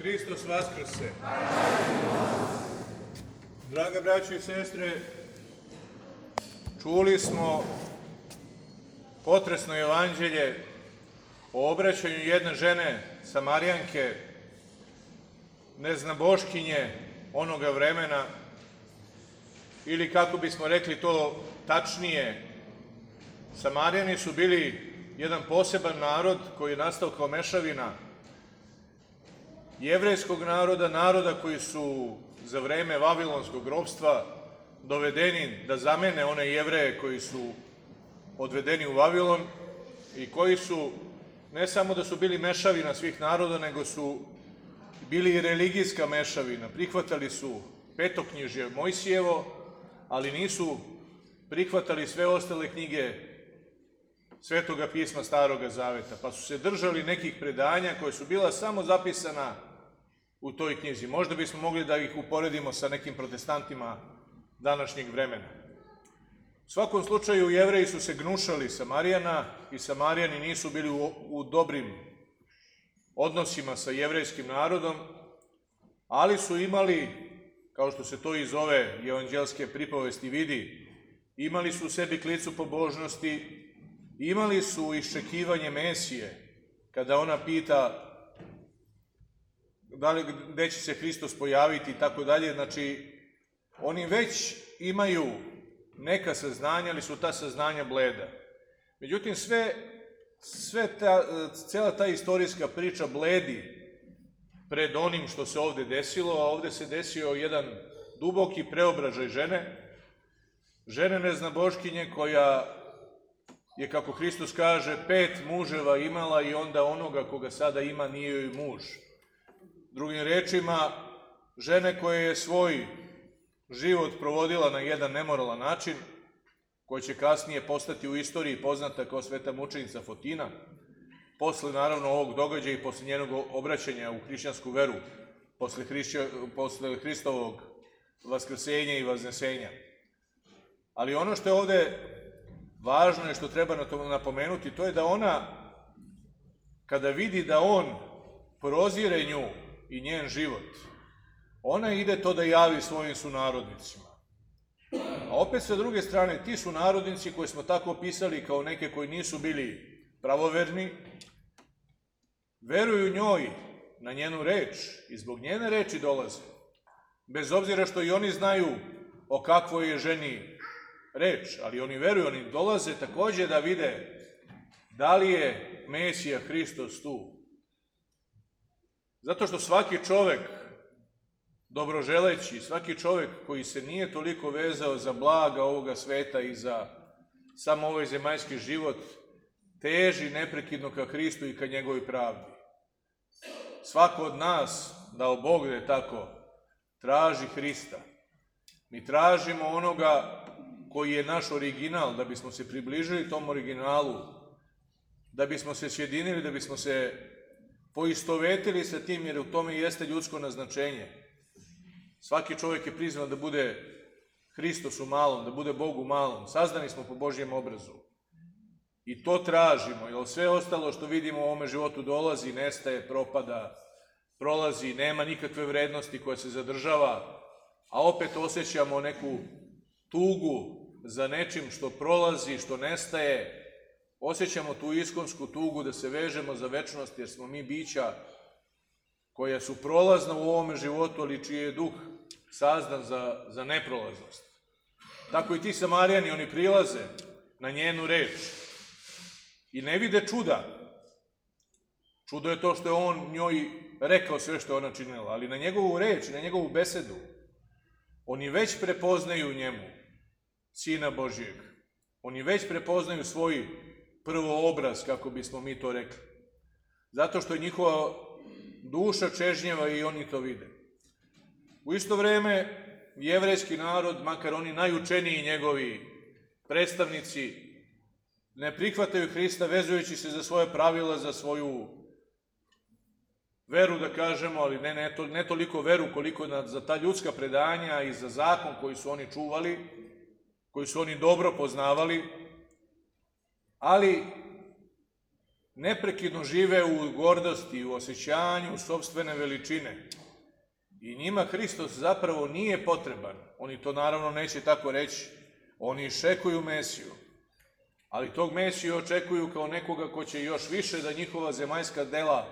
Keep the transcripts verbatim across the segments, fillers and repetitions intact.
Hristos vaskrse! Draga braćo i sestre, čuli smo potresno evanđelje o obraćanju jedne žene, Samarijanke, neznaboškinje onoga vremena, ili kako bismo rekli to tačnije, Samarijani su bili jedan poseban narod koji je nastao kao mešavina jevrejskog naroda, naroda koji su za vreme vavilonskog ropstva dovedeni da zamene one Jevreje koji su odvedeni u Vavilon i koji su, ne samo da su bili mešavina svih naroda, nego su bili i religijska mešavina. Prihvatali su petoknjižje Mojsijevo, ali nisu prihvatali sve ostale knjige Svetoga pisma Staroga Zaveta, pa su se držali nekih predanja koje su bila samo zapisana u toj knjizi. Možda bismo mogli da ih uporedimo sa nekim protestantima današnjeg vremena. U svakom slučaju, Jevreji su se gnušali Samarijana i Samarijani nisu bili u, u dobrim odnosima sa jevrejskim narodom, ali su imali, kao što se to iz ove evanđelske pripovesti vidi, imali su u sebi klicu pobožnosti, imali su iščekivanje Mesije, kada ona pita da li, gde će se Hristos pojaviti i tako dalje. Znači, oni već imaju neka saznanja, ali su ta saznanja bleda. Međutim, sve, sve ta, cela ta istorijska priča bledi pred onim što se ovde desilo, a ovde se desio jedan duboki preobražaj žene, žene neznaboškinje koja je, kako Hristos kaže, pet muževa imala i onda onoga koga sada ima nije joj muž. Drugim rečima, žene koja je svoj život provodila na jedan nemoralan način, koja će kasnije postati u istoriji poznata kao sveta mučenica Fotina, posle naravno ovog događaja i posle njenog obraćanja u hrišćansku veru, posle, hrišća, posle Hristovog vaskrsenja i vaznesenja. Ali ono što je ovde važno i što treba napomenuti, to je da ona, kada vidi da on prozire nju i njen život, ona ide to da javi svojim sunarodnicima. A opet sa druge strane, ti sunarodnici koji smo tako opisali kao neke koji nisu bili pravoverni, veruju njoj na njenu reč i zbog njene reči dolaze. Bez obzira što i oni znaju o kakvoj je ženi reč, ali oni veruju, oni dolaze takođe da vide da li je Mesija Hristos tu. Zato što svaki čovek dobroželeći, svaki čovek koji se nije toliko vezao za blaga ovoga sveta i za samo ovaj zemaljski život, teži neprekidno ka Hristu i ka njegovoj pravdi. Svako od nas, dao Bog da je tako, traži Hrista. Mi tražimo onoga koji je naš original, da bismo se približili tom originalu, da bismo se sjedinili, da bismo se poistovetili sa tim, jer u tome jeste ljudsko naznačenje. Svaki čovjek je prizvan da bude Hristos u malom, da bude Bog u malom. Sazdani smo po Božjem obrazu. I to tražimo, jer sve ostalo što vidimo u ovome životu dolazi, nestaje, propada, prolazi, nema nikakve vrednosti koja se zadržava, a opet osjećamo neku tugu za nečim što prolazi, što nestaje. Osjećamo tu iskonsku tugu da se vežemo za večnost, jer smo mi bića koja su prolazna u ovome životu, ali čiji je duh sazdan za, za neprolaznost. Tako i ti Samarijani, oni prilaze na njenu reč i ne vide čuda. Čudo je to što je on njoj rekao sve što je ona činila, ali na njegovu reč, na njegovu besedu, oni već prepoznaju njemu Sina Božijeg. Oni već prepoznaju svoj prvo obraz, kako bismo mi to rekli. Zato što je njihova duša čežnjeva i oni to vide. U isto vreme, jevrejski narod, makar oni najučeniji njegovi predstavnici, ne prihvataju Hrista vezujući se za svoje pravila, za svoju veru, da kažemo, ali ne, ne, to, ne toliko veru koliko na, za ta ljudska predanja i za zakon koji su oni čuvali, koji su oni dobro poznavali, ali neprekidno žive u gordosti, u osjećanju sopstvene veličine. I njima Hristos zapravo nije potreban. Oni to naravno neće tako reći. Oni iščekuju Mesiju. Ali tog Mesiju očekuju kao nekoga ko će još više da njihova zemaljska dela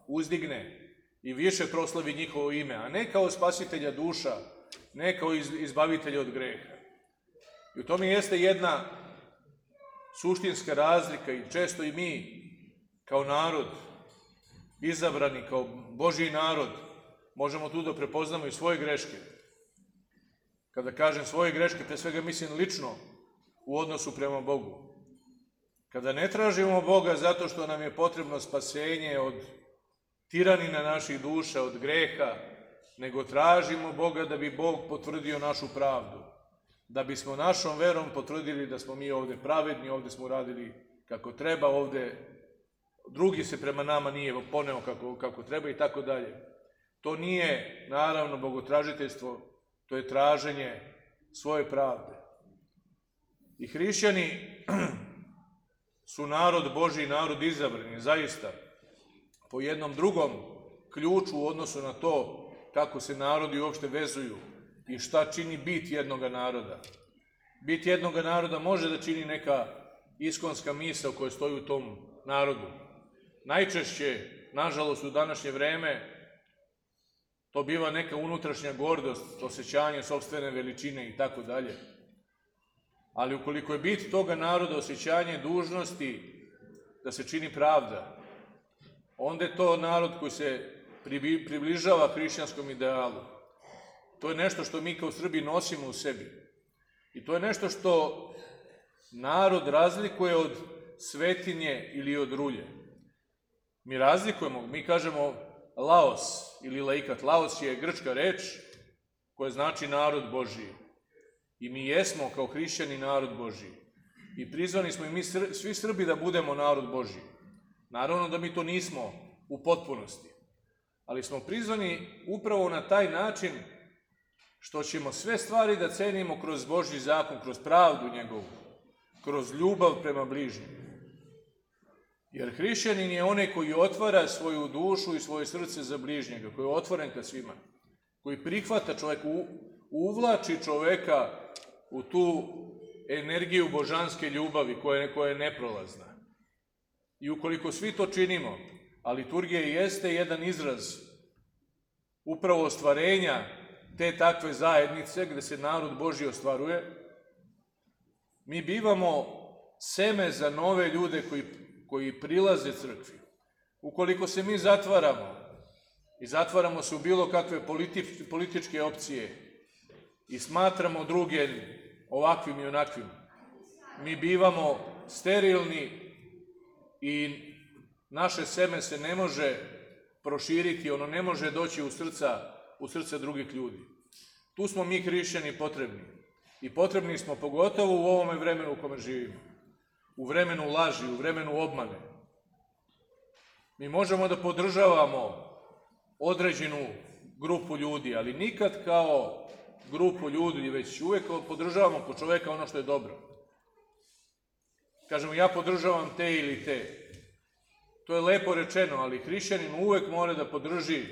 uzdigne i više proslavi njihovo ime, a ne kao spasitelja duša, ne kao izbavitelja od greha. I u tome jeste jedna suštinska razlika i često i mi kao narod, izabrani kao Božji narod, možemo tu da prepoznamo i svoje greške. Kada kažem svoje greške, pre svega mislim lično u odnosu prema Bogu. Kada ne tražimo Boga zato što nam je potrebno spasenje od tiranina naših duša, od greha, nego tražimo Boga da bi Bog potvrdio našu pravdu. Da bismo našom verom potvrdili da smo mi ovde pravedni, ovde smo uradili kako treba, ovde drugi se prema nama nije poneo kako, kako treba i tako dalje. To nije, naravno, bogotražiteljstvo, to je traženje svoje pravde. I hrišćani su narod Božji, narod izabrani, zaista, po jednom drugom ključu u odnosu na to kako se narodi uopšte vezuju i šta čini bit jednoga naroda. Bit jednoga naroda može da čini neka iskonska misao koja stoji u tom narodu. Najčešće, nažalost, u današnje vreme, to biva neka unutrašnja gordost, osjećanje sopstvene veličine i tako dalje. Ali ukoliko je bit toga naroda osjećanje dužnosti da se čini pravda, onda je to narod koji se približava hrišćanskom idealu. To je nešto što mi kao Srbi nosimo u sebi. I to je nešto što narod razlikuje od svetinje ili od rulje. Mi razlikujemo, mi kažemo laos ili laikat. Laos je grčka reč koja znači narod Božji. I mi jesmo kao hrišćani narod Božji. I prizvani smo i mi svi Srbi da budemo narod Božji. Naravno da mi to nismo u potpunosti. Ali smo prizvani upravo na taj način što ćemo sve stvari da cenimo kroz Božji zakon, kroz pravdu njegovu, kroz ljubav prema bližnjem. Jer hrišćanin je onaj koji otvara svoju dušu i svoje srce za bližnjega, koji je otvoren ka svima, koji prihvata čoveka, uvlači čoveka u tu energiju božanske ljubavi koja, koja je neprolazna. I ukoliko svi to činimo, a liturgija jeste jedan izraz upravo ostvarenja te takve zajednice gde se narod Božji ostvaruje, mi bivamo seme za nove ljude koji, koji prilaze crkvi. Ukoliko se mi zatvaramo i zatvaramo se u bilo kakve politi, političke opcije i smatramo druge ovakvim i onakvim, mi bivamo sterilni i naše seme se ne može proširiti, ono ne može doći u srca, u srca drugih ljudi. Tu smo mi hrišćani potrebni. I potrebni smo pogotovo u ovome vremenu u kome živimo. U vremenu laži, u vremenu obmane. Mi možemo da podržavamo određenu grupu ljudi, ali nikad kao grupu ljudi, već uvek podržavamo po čoveka ono što je dobro. Kažemo, ja podržavam te ili te. To je lepo rečeno, ali hrišćanin uvek mora da podrži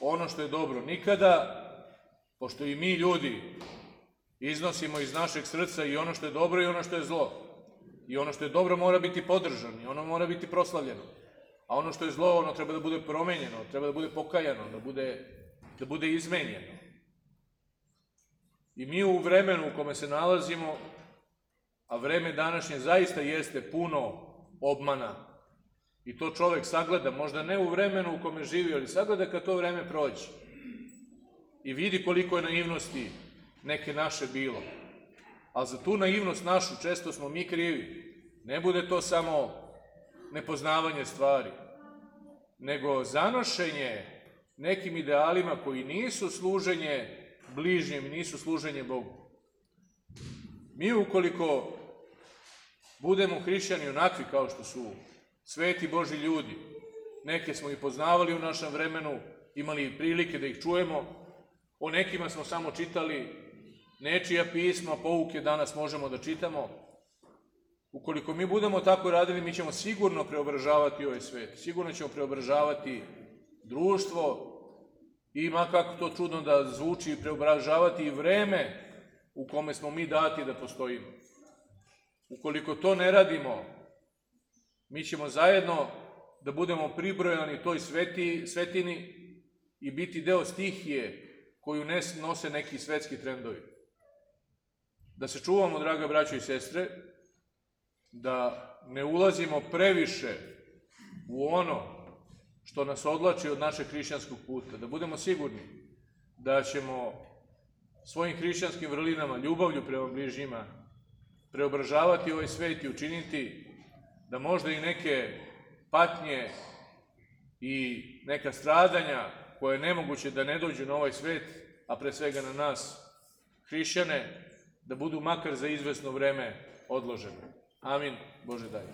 ono što je dobro. Nikada, pošto i mi ljudi iznosimo iz našeg srca i ono što je dobro i ono što je zlo. I ono što je dobro mora biti podržano i ono mora biti proslavljeno. A ono što je zlo, ono treba da bude promenjeno, treba da bude pokajano, da bude, da bude izmenjeno. I mi u vremenu u kome se nalazimo, a vreme današnje zaista jeste puno obmana, i to čovek sagleda, možda ne u vremenu u kome živi, ali sagleda kad to vreme prođe. I vidi koliko je naivnosti neke naše bilo. Ali za tu naivnost našu često smo mi krivi. Ne bude to samo nepoznavanje stvari, nego zanošenje nekim idealima koji nisu služenje bližnjem, nisu služenje Bogu. Mi ukoliko budemo hrišćani onakvi kao što su sveti Božji ljudi, neke smo i poznavali u našem vremenu, imali prilike da ih čujemo, o nekima smo samo čitali, nečija pisma, pouke danas možemo da čitamo. Ukoliko mi budemo tako radili, mi ćemo sigurno preobražavati ovaj svet. Sigurno ćemo preobražavati društvo i, ma kako to čudno da zvuči, preobražavati i vreme u kome smo mi dati da postojimo. Ukoliko to ne radimo, mi ćemo zajedno da budemo pribrojani toj sveti, svetini i biti deo stihije koju nose neki svetski trendovi. Da se čuvamo, draga braćo i sestre, da ne ulazimo previše u ono što nas odlači od našeg hrišćanskog puta, da budemo sigurni da ćemo svojim hrišćanskim vrlinama, ljubavlju prema bližnjima, preobražavati ovaj svet i učiniti da možda i neke patnje i neka stradanja koje je nemoguće da ne dođu na ovaj svet, a pre svega na nas, hrišćane, da budu makar za izvesno vreme odložene. Amin. Bože daj.